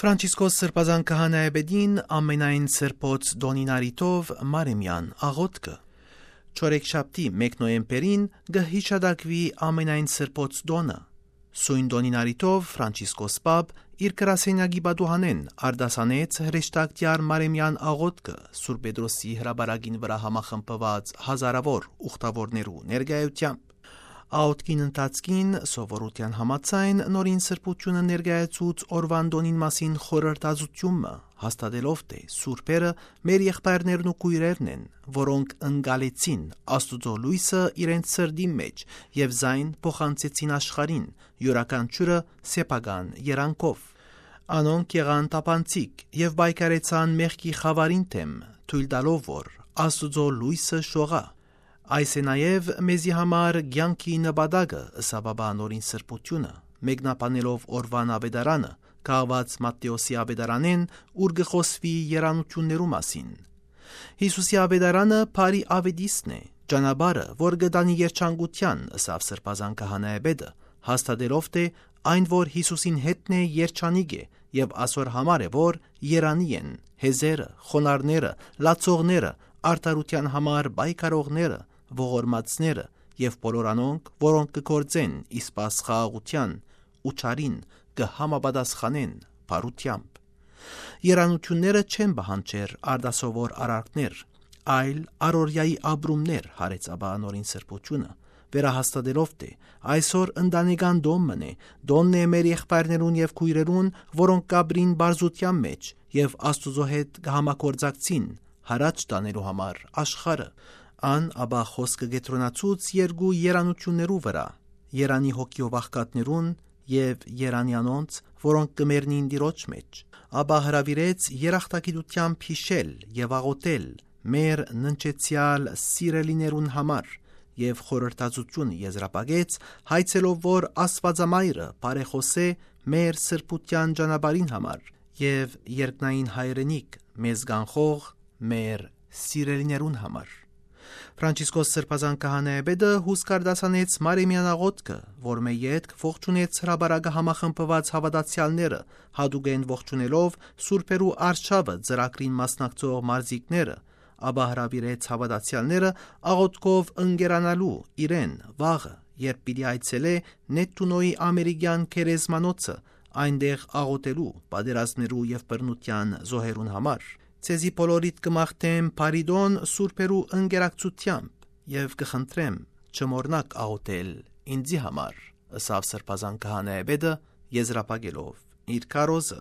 Ֆրանցիսկոս սրբազան քահանայեբեդին ամենայն սրբոց դոնինարիտով մարեմյան աղոտկը չորեքշաբթի 1 նոյեմբերին գհիշադակվի ամենայն սրբոց դոնը սույն դոնինարիտով Ֆրանցիսկոս պապ իր գրասենյակի բադուհանեն արդասանեց հրեշտակտյար մարեմյան աղոտկը Սուրբ Պետրոսի հրաբարագին վրա համախմբված հազարավոր ուխտավորներու ներկայությամբ Աղոտքին ընթացքին սովորության համաձայն նորին սրբությունը ներկայացուց օրվան դոնին մասին խորհրդածությունը հաստատելով թե սուրբերը մեր եղբայրներն ու քույրերն են, որոնք ընկալեցին Աստուծո լույսը իրենց սրդի մեջ եւ զայն փոխանցեցին աշխարհին յուրաքանչյուրը սեփական երանքով։ Անոնք եղան տապանցիկ եւ բայկարեցան մեղքի խավարին թեմ, թույլ տալով որ Աստուծո լույսը շողա։ Այս է նաև մեզի համար կյանքի նպատակը ըսաբաբա նորին սրբությունը, մեկնաբանելով օրվան ավետարանը, քաղված Մատթեոսի ավետարանեն, ուր գխոսվի երանություններու մասին։ Հիսուսի ավետարանը բարի ավետիստն է, ճանապարհը, որ գտանի երջանկության, ըսավ սրբազան քահանայեբեդը, հաստատելով թե այն, որ Հիսուսին հետն է երջանիկ է եւ ասոր համար է, որ երանի են հեզերը, խոնարհները, լացողները, արդարության համար բայկարողները, ողորմածները եւ բոլոր անոնք, որոնք կգործեն իսպաս խաղաղության ու չարին կհամապատասխանեն բարությամբ։ Երանությունները չեն բանջեր արդասովոր արարքներ, այլ առօրյայի ապրումներ հարեցաբա նորին սրբությունը, վերահաստատելով թե այսօր ընտանեկան դոմն է, դոնն է մեր եղբայրներուն եւ քույրերուն, որոնք կաբրին բարձության մեջ եւ Աստուծո հետ կհամագործակցին հարաճ տանելու համար աշխարհը։ Ան աբա խոսքը գետրոնացուց երկու երանություններու վրա, երանի հոգիով աղքատներուն եւ երանի անոնց, որոնք կմեռնին Տիրոջ մեջ, աբա հրավիրեց երախտագիտությամբ հիշել եւ աղոթել մեր ննջեցյալ սիրելիներուն համար եւ խորհրդածություն եզրապակեց հայցելով որ Աստվածամայրը բարեխոսե մեր սրբության ճանապարհին համար եւ երկնային հայրենիք մեզ գանխող մեր սիրելիներուն համար։ Ֆրանցիսկոս սրբազան քահանայեբեդը հուսկարդասանեց մարեմյան աղոտկը, որ մե յետք ողջունեց հրաբարագը համախմբված հավատացյալները, հադուգեն ողջունելով սուրբերու արշավը ծրագրին մասնակցող մարզիկները, աբա հրավիրեց հավատացյալները աղոտկով ընկերանալու իրեն վաղը, երբ պիտի այցելե Նետունոյի ամերիկյան քերեզմանոցը, այնտեղ աղոտելու պատերազմներու եւ բռնության զոհերուն համար։ Ցեզի բոլորիդ կմաղթեմ բարիդոն սուրբերու ընկերակցությամբ եւ կխնդրեմ չմոռնաք աղոթել ինձի համար, ըսավ սրբազան քահանայեբեդը եզրապակելով իր քարոզը։